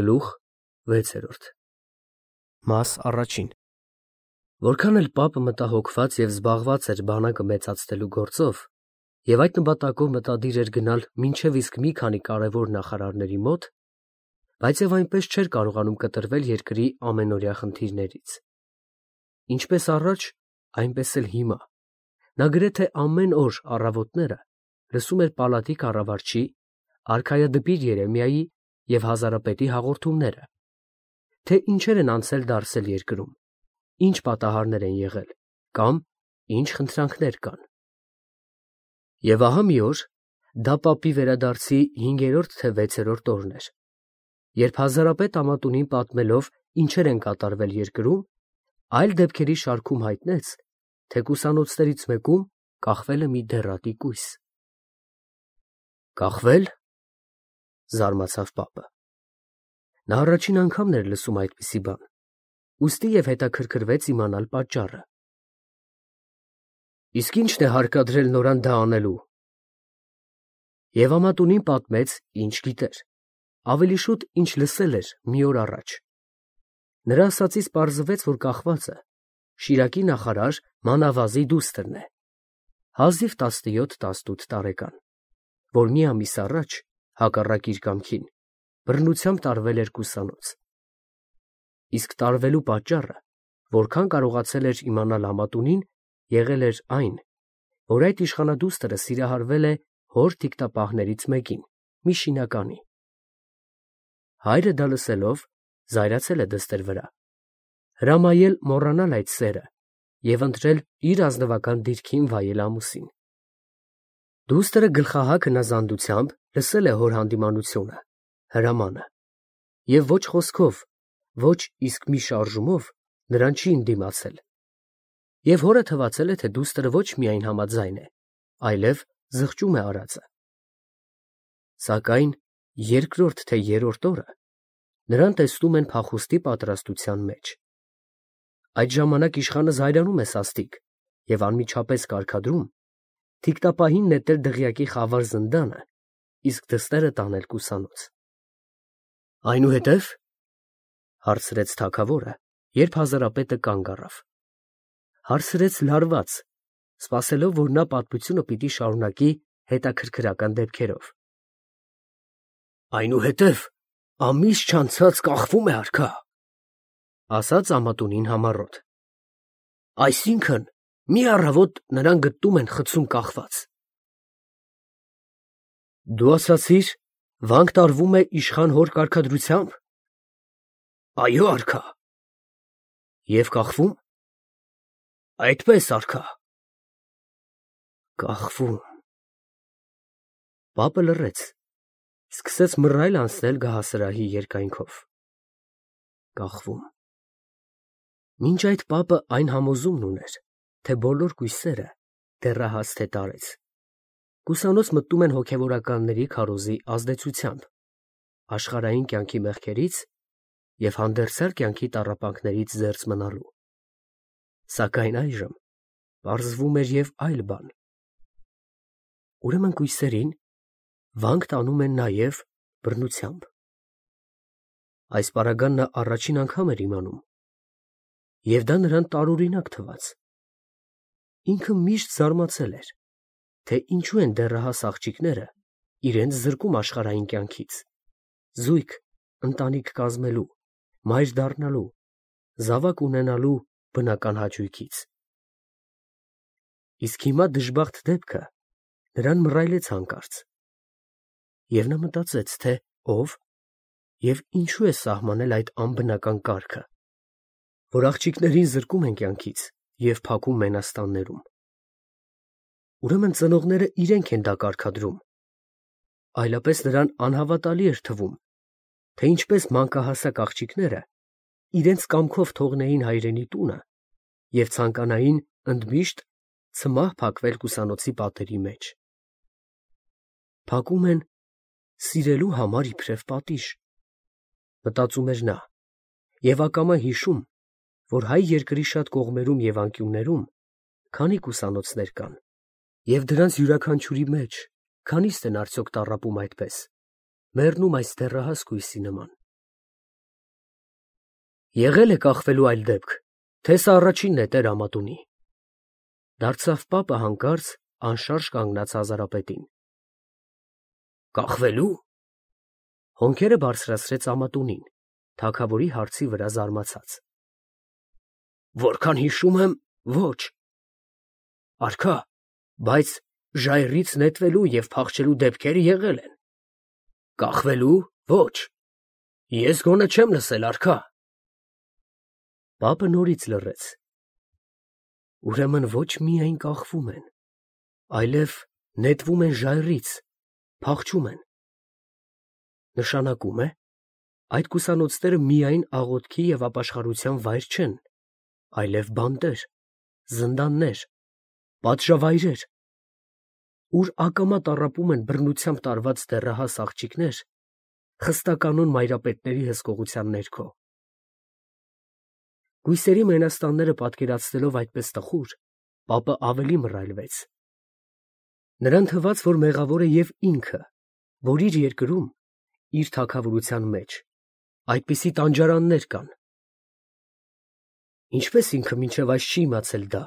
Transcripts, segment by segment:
Գլուխ 6 Մաս առաջին Որքան էլ պապը մտահոգված և զբաղված էր բանակը մեծացնելու գործով և այդ նպատակով մտադիր էր գնալ մինչև իսկ մի քանի կարևոր նախարարների մոտ, բայց և այնպես չէր կարողանում կտրվել երկրի ամենօրյա խնդիրներից։ Ինչպես առաջ, այնպես էլ հիմա, նա գրեթե ամեն օր առավոտները լսում էր պալատի կառավարչի, արքայադպիր Երեմիայի և հազարապետի հաղորդումները, թե ինչեր են անցել երկրում, ինչ պատահարներ են եղել կամ ինչ խնդրանքներ կան։ Եվ ահա մի օր, դա պապի վերադարձի 5-րդ թե 6-րդ օրն էր, երբ հազարապետ Ամատունին պատմելով ինչեր են կատարվել երկրում, այլ դեպքերի շարքում հայտնեց, թե կուսանոցներից մեկում կախվել է մի դեռատի կույս։ Կախվե՞լ, զարմացավ պապը։ Նա առաջին անգամն էր լսում այդպիսի բան, ուստի և հետաքրքրվեց իմանալ պատճառը։ Իսկ ի՞նչն է հարկադրել նորան դա անելու։ Եվ Ամատունին պատմեց, ինչ գիտեր, ավելի շուտ, ինչ լսել էր մի օր առաջ։ Նրա ասածից պարզվեց, որ կախվածը Շիրակի նախարար Մանավազի դուստրն է, հազիվ 17-18 տարեկան, որ մի ամիս առաջ, հակառակ իր կամքին, բռնությամբ տարվել էր կուսանոց։ Իսկ տարվելու պատճառը, որքան կարողացել էր իմանալ Ամատունին, եղել էր այն, որ այդ իշխանադուստրը սիրահարվել է հոր թիկնապահներից մեկին, մի շինականի։ Հայրը դա լսելով, զայրացել է դստեր վրա, հրամայել մոռանալ այդ սերը և ընտրել իր ազնվական դիրքին վայել ամուսին։ Դուստրը գլխահակ հնազանդությամբ լսել է հոր հանդիմանությունը, հրամանը, և ոչ խոսքով, ոչ իսկ մի շարժումով նրան չի ընդդիմացել, և հորը թվացել է, թե դուստրը ոչ միայն համաձայն է, այլև զղջում է արածը։ Սակայն երկրորդ թե երրորդ օրը նրան տեսնում են փախուստի պատրաստության մեջ։ Այդ ժամանակ իշխանը զայրանում է սաստիկ և անմիջապես կարգադրում թիկնապահին նետել դղյակի խավար զնդանը, իսկ դստերը տանել կուսանոց։ Այնուհետև, հարցրեց թագավորը, երբ հազարապետը կանգ առավ, հարցրեց լարված, սպասելով, որ նա պատմությունը պիտի շարունակի հետաքրքրական դեպքերով։ Այնուհետև ամիս չանցած կախվում է արքա, ասաց Ամատունին համառոտ։ Այսինքն, մի առավոտ նրան գտնում են խցում կախված։ Դու ասացիր, վանք տարվում է իշխան հոր կարգադրությամբ։ Այո, արքա։ Եվ կախվում։ Այդպես, արքա։ Կախվում։ Պապը լռեց, սկսեց մռայլ անցնել գահասրահի երկայնքով։ Կախվում։ Մինչ այդ պապը այն համոզումն ուներ, թե բոլոր կույսերը, դեռահաս թե տարեց, կուսանոց մտնում են հոգևորականների քարոզի ազդեցությամբ, աշխարհային կյանքի մեղքերից և հանդերձյալ կյանքի տառապանքներից զերծ մնալու։ Սակայն այժմ պարզվում էր և այլ բան։ Ուրեմն կույսերին վանք տանում են նաև բռնությամբ։ Այս պարագան նա առաջին անգամ էր իմանում, և դա նրան տարօրինակ թվաց։ Ինքը միշտ զարմացել էր, թե ինչու են դեռահաս աղջիկները իրենց զրկում աշխարհային կյանքից, զույգ, ընտանիք կազմելու, մայր դառնալու, զավակ ունենալու բնական հաճույքից։ Իսկ հիմա դժբախտ դեպքը նրան մռայլեց հանկարծ, և նա մտածեց, թե ով և ինչու է սահմանել այդ անբնական կարգը, որ աղջիկներին զրկում են կյանքից և փակում մենաստաններում։ Ուրեմն ծնողները իրենք են դա կարգադրում, այլապես նրան անհավատալի էր թվում, թե ինչպես մանկահասակ աղջիկները իրենց կամքով թողնեին հայրենի տունը և ցանկանային ընդմիշտ ցմահ փակվել կուսանոցի պատերի մեջ։ Փակում են սիրելու համար իբրև պատիժ, մտածում էր նա, և ակամա հիշում, որ հայ երկրի շատ կողմերում և անկյուններում քանի կուսանոցներ կան, և դրանց յուրաքանչյուրի մեջ քանիստ են արդյոք տառապում այդպես, մեռնում այս դեռահաս կույսի նման։ Եղել է կախվելու այլ դեպք, թե սա առաջինն է Տեր-Ամատունի։ Դարձավ պապը հանկարծ անշարժ կանգնած Հազարապետին։ Կախվելու։ Հոնքերը բարձրացրեց Ամատունին, թագավորի հարցի վրա զարմացած։ Որքան հիշում եմ, ոչ։ Արքա, բայց ժայռից նետվելու և փախչելու դեպքեր եղել են։ Կախվելու, ոչ։ Ես գոնե չեմ լսել, արքա։ Պապը նորից լռեց։ Ուրեմն ոչ միայն կախվում են, այլև նետվում են ժայռից, փախչում են։ Նշանակում է, այդ կուսանոցները միայն աղոթքի և ապաշխարության վայր չեն, այլև բանտեր, զնդաններ, պատժավայրեր, ուր ակամա տառապում են բռնությամբ տարված դեռահաս աղջիկներ, խստականոն մայրապետների հսկողության ներքո։ Գույսերի մենաստանները պատկերացնելով այդպես տխուր, պապը ավելի մռայլվեց։ Նրան թվաց, որ մեղավոր է և ինքը, որ իր երկրում, իր թագավորության մեջ, այդպիսի տանջարաններ կան։ Ինչպես ինքը մինչև այս չի իմացել դա։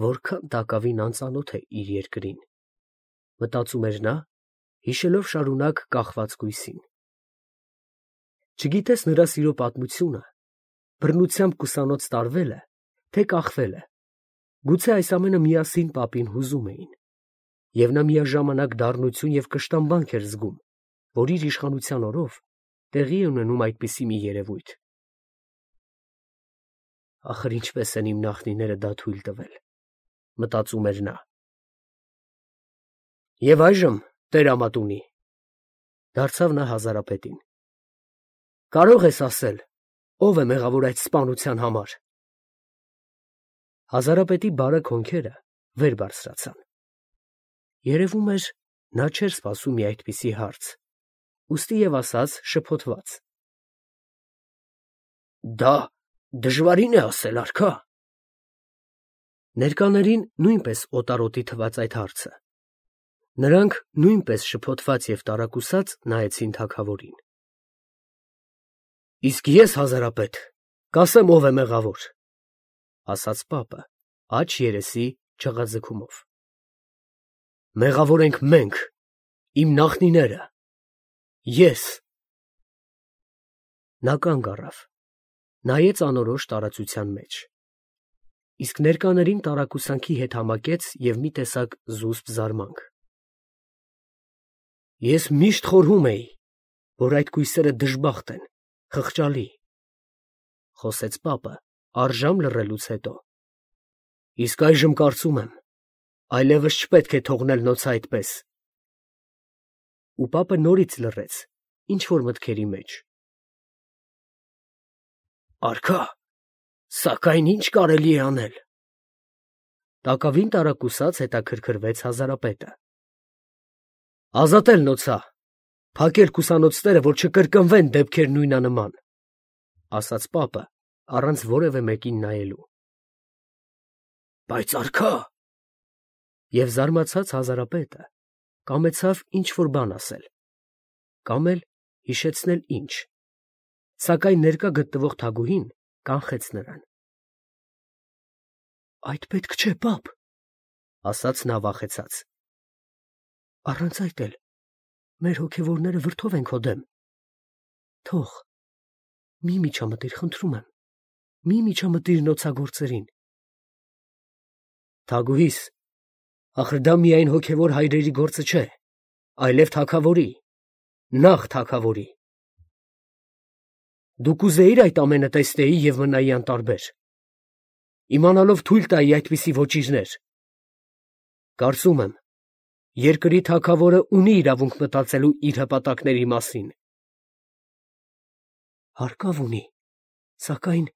Որքան տակավին անծանոթ է իր երկրին, մտածում էր նա, հիշելով շարունակ կախված գույսին։ Չգիտես նրա սիրո պատմությունը, բռնությամբ կուսանոց տարվելը, թե կախվելը, գուցե այս ամենը միասին պապին հուզում էին, և նա միաժամանակ դառնություն և կշտամբանք էր զգում, որ իր իշխանության օրով տեղի է ունենում այդպիսի մի երևույթ։ Ախր ինչպես են իմ նախնիները դա թույլ տվել, մտածում էր նա։ Եվ այժմ, Տեր-Ամատունի, դարձավ նա Հազարապետին, կարող ես ասել, ով է մեղավոր այդ սպանության համար։ Հազարապետի բարակ հոնքերը վեր բարձրացան։ Երևում էր, նա չէր սպասում մի այդպիսի հարց, ուստի և ասաց շփոթված. Դա դժվարին է ասել, արքա։ Ներկաներին նույնպես օտարոտի թվաց այդ հարցը։ Նրանք նույնպես շփոթված և տարակուսած նայեցին թագավորին։ Իսկ ես, Հազարապետ, կասեմ ով է մեղավոր, ասաց պապը, աջ երեսի չղաձգումով։ Մեղավոր ենք մենք, իմ նախնիները, ես։ Նա կանգ առավ, նայեց անորոշ տարածության մեջ, իսկ ներկաներին տարակուսանքի հետ համակեց և մի տեսակ զուսպ զարմանք։ Ես միշտ խորհում էի, որ այդ կույսերը դժբախտ են, խղճալի, խոսեց պապը, առժամ լռելուց հետո։ Իսկ այժմ կարծում եմ, այլևս չպետք է թողնել նոցը այդպես։ Ու պապը նորից լռեց, ինչ-որ մտքերի մեջ։ Արքա, սակայն ինչ կարելի է անել։ Տակավին տարակուսած հետաքրքրվեց Հազարապետը։ Ազատել նոցա, փակել կուսանոցները, որ չկրկնվեն դեպքեր նույնանման, ասաց պապը, առանց որևէ մեկին նայելու։ Բայց արքա։ Եվ զարմացած Հազարապետը կամեցավ ինչ-որ բան ասել, կամ էլ հիշեցնել ինչ, սակայն ներկա գտնվող թագուհին կանխեց նրան։ Այդ պետք չէ, պապ, ասաց նա վախեցած։ Առանց այդ էլ մեր հոգևորները վրդով են քո դեմ։ Թող, մի միջամտիր, խնդրում եմ, մի միջամտիր նոցագործերին։ Թագուհիս, ախր դա միայն հոգևոր հայրերի գործը չէ, այլև թագավորի, նախ թագավորի։ Դու կուզեիր այդ ամենը տեսնեի և մնայի անտարբեր, իմանալով թույլ տայի այդպիսի ոճիրներ։ Կարծում եմ, երկրի թագավորը ունի իրավունք մտածելու իր հպատակների մասին։ Հարկավ ունի, սակայն…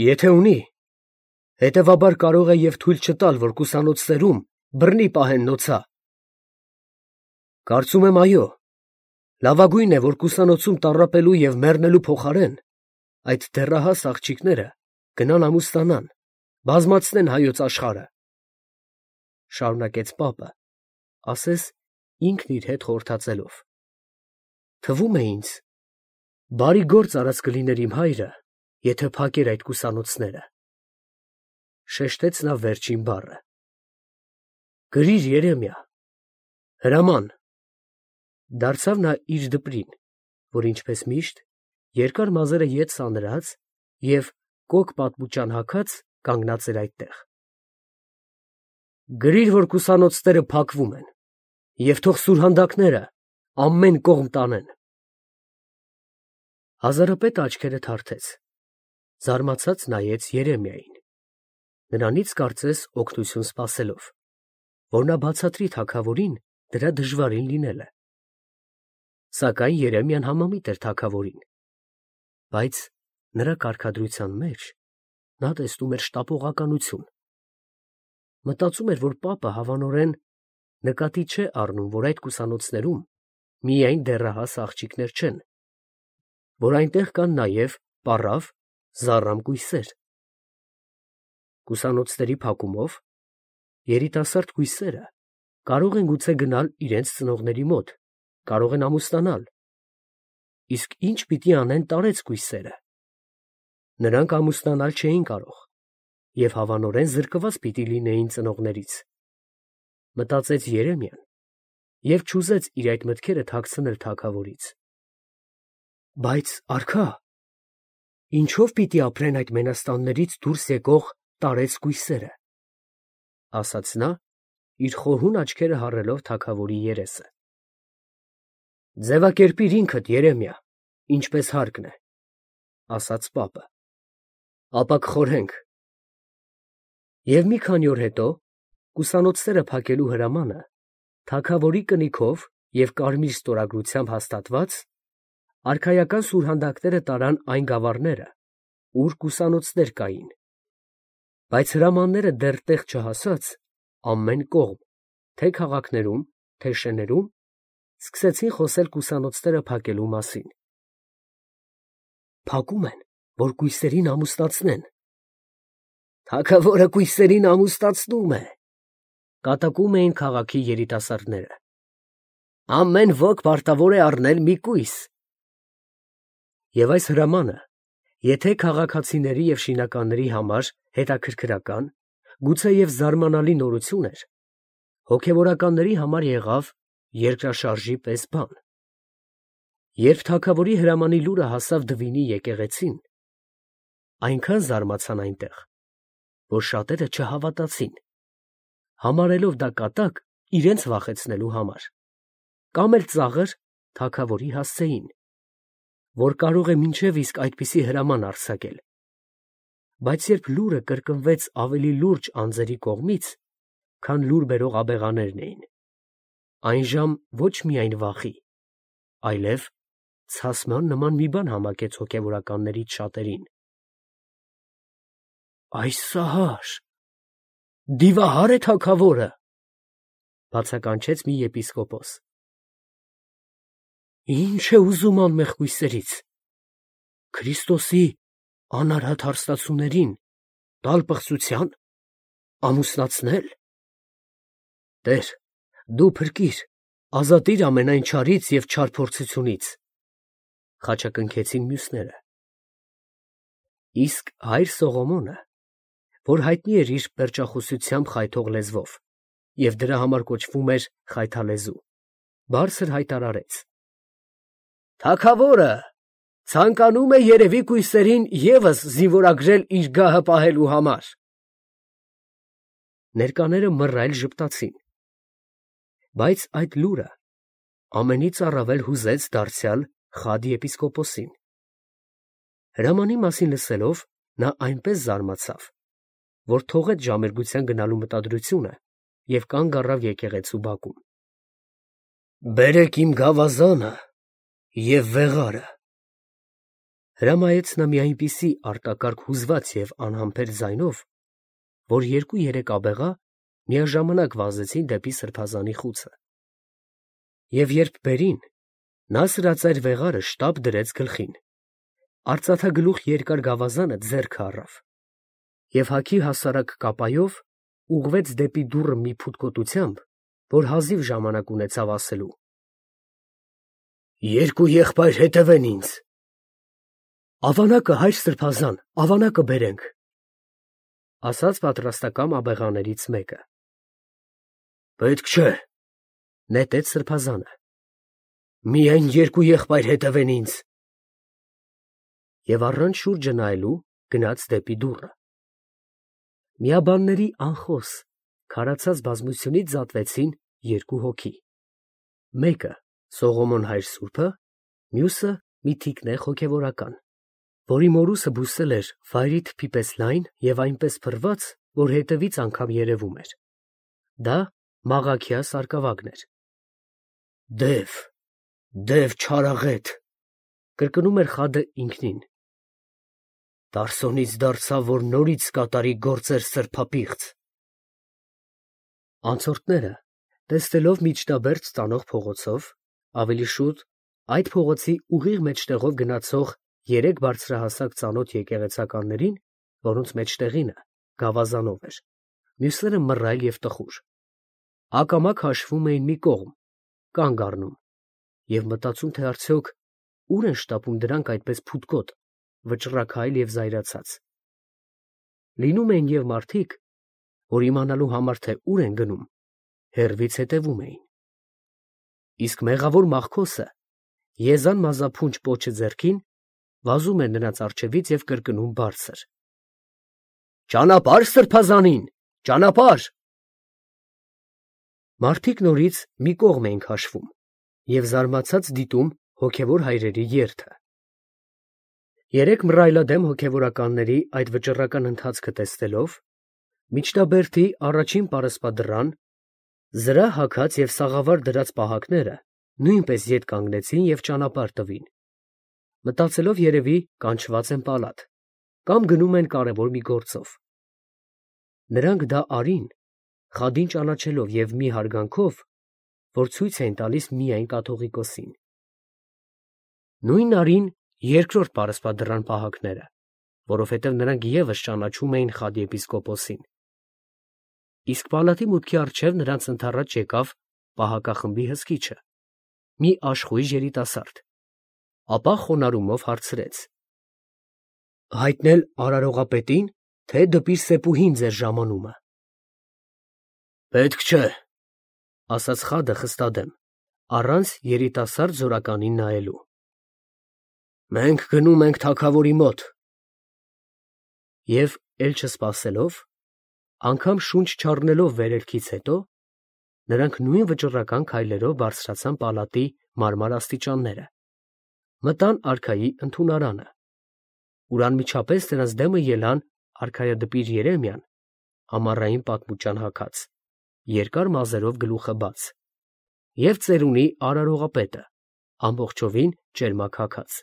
Եթե ունի, հետևաբար կարող է և թույլ չտալ, որ կուսանոցներում բռնի պահեն նոցա։ Կարծում եմ, այո, լավագույնն է, որ կուսանոցում տառապելու և մեռնելու փոխարեն այդ դեռահաս աղջիկները գնան ամուսնանան, բազմացնեն հայոց աշխարհը, շարունակեց պապը, ասես ինքն իր հետ խորհրդածելով։ Թվում է ինձ, Բարի գործ արած կլիներ իմ հայրը, եթե փակեր այդ կուսանոցները, շեշտեց նա վերջին բառը։ Գրիր, Երեմիա, հրաման, դարձավ նա իր դպրին, որ ինչպես միշտ երկար մազերը ետ սանրած և կոկ պատմուճան հագած կանգնած էր այդտեղ։ Գրիր, որ կուսանոցները փակվում են, և թող սուրհանդակները ամեն կողմ տանեն։ Հազարապետը աչքերը թարթեց, զարմացած նայեց Երեմիային, նրանից կարծես օգնություն սպասելով, որ նա բացատրի թագավորին դրա դժվարին լինելը։ Սակայն Երեմիան համամիտ էր թագավորին, բայց նրա կարգադրության մեջ նա տեսնում էր շտապողականություն։ Մտածում էր, որ պապը հավանորեն նկատի չէ առնում, որ այդ կուսանոցներում միայն դեռահաս աղջիկներ չեն, որ այնտեղ կան նաև պառավ, զառամ կույսեր։ Կուսանոցների փակումով երիտասարդ կույսերը կարող են գուցե գնալ իրենց ծնողների մոտ, կարող են ամուսնանալ, իսկ ինչ պիտի անեն տարեց կույսերը։ Նրանք ամուսնանալ չէին կարող և հավանորեն զրկված պիտի լինեին ծնողներից, մտածեց Երեմիան և չուզեց իր այդ մտքերը թաքցնել թագավորից։ Բայց արքա, ինչով պիտի ապրեն այդ մենաստաններից դուրս եկող տարեց կույսերը, ասաց նա, իր խորհուն աչքերը հառելով թագավորի երեսը։ Ձևակերպիր ինքդ, Երեմիա, ինչպես հարկն է, ասաց պապը, ապա կխորհենք։ Եվ մի քանի օր հետո կուսանոցները փակելու հրամանը թագավորի կնիքով և կարմիր ստորագրությամբ հաստատված արքայական սուրհանդակները տարան այն գավառները, ուր կուսանոցներ կային, բայց հրամանները դեռ տեղ չհասած, ամեն կողմ, թե քաղաքներում, թե շեներում, սկսեցին խոսել կուսանոցները փակելու մասին։ Փակում են, որ կույսերին ամուսնացնեն։ Թագավորը կույսերին ամուսնացնում է, կատակում էին քաղաքի երիտասարդները։ Ամեն ոք պարտավոր է առնել մի կույս։ Եվ այս հրամանը, եթե քաղաքացիների և շինականների համար հետաքրքրական, գուցե և զարմանալի նորություն էր, հոգևորականների համար եղավ երկրաշարժի պես բան։ Երբ թագավորի հրամանի լուրը հասավ Դվինի եկեղեցին, այնքան զարմացան այնտեղ, որ շատերը չհավատացին, համարելով դա կատակ իրենց վախեցնելու համար, կամ էլ ծաղր թագավորի հասցեին, որ կարող է մինչև իսկ այդպիսի հրաման արձակել։ Բայց երբ լուրը կրկնվեց ավելի լուրջ անձերի կողմից, քան լուր բերող աբեղաներն էին, այնժամ ոչ միայն վախի, այլև ցասման նման մի բան համակեց հոգևորականներից շատերին։ Այս սահար, դիվահար է թագավորը, բացականչեց մի եպիսկոպոս։ Ինչ է ուզում անմեղ կույսերից, Քրիստոսի անարհատ հարստացուներին տալ պղծության, ամուսնացնել։ Տեր, դու փրկիր, ազատիր ամենայն չարից և չար փորձությունից, խաչակնքեցին մյուսները։ Իսկ հայր Սողոմոնը, որ հայտնի էր իր պերճախոսությամբ խայթող լեզվով և դրա համար կոչվում էր խայթալեզու, բարձր հայտարարեց. Թագավորը ցանկանում է երևի կույսերին ևս զինվորագրել իր գահը պահելու համար։ Ներկաները մռայլ ժպտացին, բայց այդ լուրը ամենից առավել հուզեց դարձյալ Խադի եպիսկոպոսին։ Հրամանի մասին լսելով նա այնպես զարմացավ, որ թողեց ժամերգության գնալու մտադրությունը և կանգ առավ եկեղեցու բակում։ Բերեք իմ գավազանը և վեղարը, հրամայեց նա մի այնպիսի արտակարգ հուզված և անհամբեր ձայնով, որ երկու-երեք աբեղա միաժամանակ վազեցին դեպի սրբազանի խուցը։ Եվ երբ բերին, նա սրածայր վեղարը շտապ դրեց գլխին, արծաթագլուխ երկար գավազանը ձեռքը առավ և հագի հասարակ կապայով ուղղվեց դեպի դուռը մի փութկոտությամբ, որ հազիվ ժամանակ ունեցավ ասելու. Երկու եղբայր հետևեն ինձ, Ավանակը, հայր սրբազան, ավանակը բերենք, ասաց պատրաստակամ աբեղաներից մեկը։ Պետք չէ, նետեց սրբազանը, միայն երկու եղբայր հետևեն ինձ։ Եվ առանց շուրջը նայելու գնաց դեպի դուռը։ Միաբանների անխոս քարացած բազմությունից զատվեցին երկու հոգի։ Մեկը Սողոմոն հայր սուրբը, մյուսը մի թիկնեղ հոգևորական, որի մորուսը բուսել էր վայրի թփի պես լայն և այնպես փռված, որ հետևից անգամ երևում էր։ Դա Մաղաքիա սարկավագն էր։ Դև չարաղետ, կրկնում էր խադը ինքնին։ Տարսոնից դարձավ, որ նորից կատարի գործեր սրբապիղծ։ Անցորդները, տեսնելով միջնաբերդ տանող փողոցով, ավելի շուտ այդ փողոցի ուղիղ մեջտեղով գնացող երեք բարձրահասակ ծանոթ եկեղեցականներին, որոնց մեջտեղինը գավազանով էր, մյուսները մռայլ և տխուր, ակամա քաշվում էին մի կողմ, կանգ առնում և մտածում, թե արդյոք ուր են շտապում դրանք այդպես փութկոտ, վճռաքայլ և զայրացած։ Լինում էին և մարդիկ, որ իմանալու համար, թե ուր են գնում, հեռվից հետևում էին։ Իսկ մեղավոր մախքոսը, եզան մազափունչ պոչը ձեռքին, վազում էր նրանց առջևից և կրկնում բարձր. «Ճանապարհ սրբազանին, ճանապարհ»։ Մարդիկ նորից մի կողմ էին քաշվում և զարմացած դիտում հոգևոր հայրերի երթը։ Երեք մռայլադեմ հոգևորականների այդ վճռական ընթացքը տեսնելով, միջնաբերդի առաջին պարսպադռան, զրահ հագած և սաղավար դրած պահակները նույնպես ետ կանգնեցին և ճանապարհ տվին, մտածելով երևի կանչված են պալատ, կամ գնում են կարևոր մի գործով։ Նրանք դա արին, խադին ճանաչելով և մի հարգանքով, որ ցույց էին տալիս միայն կաթողիկոսին։ Նույնն արին երկրորդ պարսպադռան պահակները, որովհետև նրանք ևս ճանաչում էին խադիեպիսկոպոսին։ Իսկ պալատի մուտքի առջև նրանց ընդառաջ եկավ պահակախմբի հսկիչը, մի աշխույժ երիտասարդ, ապա խոնարհումով հարցրեց. «Հայտնել արարողապետին, թե դպիր Սեփուհին ձեր ժամանումը»։ «Պետք չէ», ասաց խադը խստադեմ, առանց երիտասարդ զորականին նայելու։ «Մենք գնում ենք թագավորի մոտ»։ Եվ էլ չսպասելով, անգամ շունչ չառնելով վերելքից հետո, նրանք նույն վճռական քայլերով բարձրացան պալատի մարմար աստիճանները, մտան արքայի ընդունարանը, ուր անմիջապես նրանց դեմը ելան արքայադպիր Երեմիան, ամառային պատմուճան հագած, երկար մազերով գլուխը բաց, և ծերունի արարողապետը, ամբողջովին ճերմակ հագած։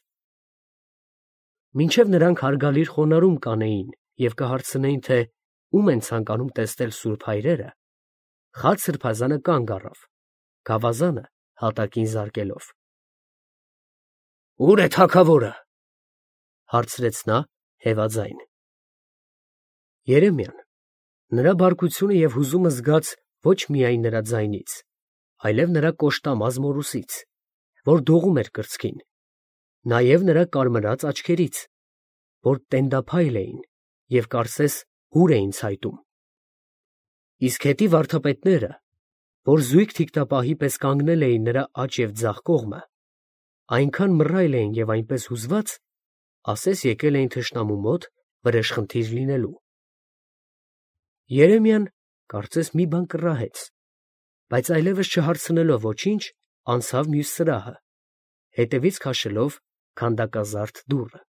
Մինչև նրանք հարգալիր խոնարհում կանեին և կհարցնեին, թե ում են ցանկանում տեսնել սուրբ հայրերը, խատ սրբազանը կանգ առավ, գավազանը հատակին զարկելով։ «Ո՞ւր է թագավորը», հարցրեց նա հևաձայն։ Երեմիան, նրա բարկությունը և հուզումը զգաց ոչ միայն նրա ձայնից, այլև նրա կոշտամած մորուսից, որ դողում էր կրծքին, նաև նրա կարմրած աչքերից, որ տենդափայլ էին և կարծես հուր էին ցայտում։ Իսկ հետի վարդապետները, որ զույգ թիկնապահի պես կանգնել էին նրա աջ և ձախ կողմը, այնքան մռայլ էին և այնպես հուզված, ասես եկել էին թշնամու մոտ վրեժխնդիր լինելու։ Երեմիան կարծես մի բան կռահեց, բայց այլևս չհարցնելով ոչինչ, անցավ մյուս սրահը, հետևից քաշելով քանդակազարդ դուռը։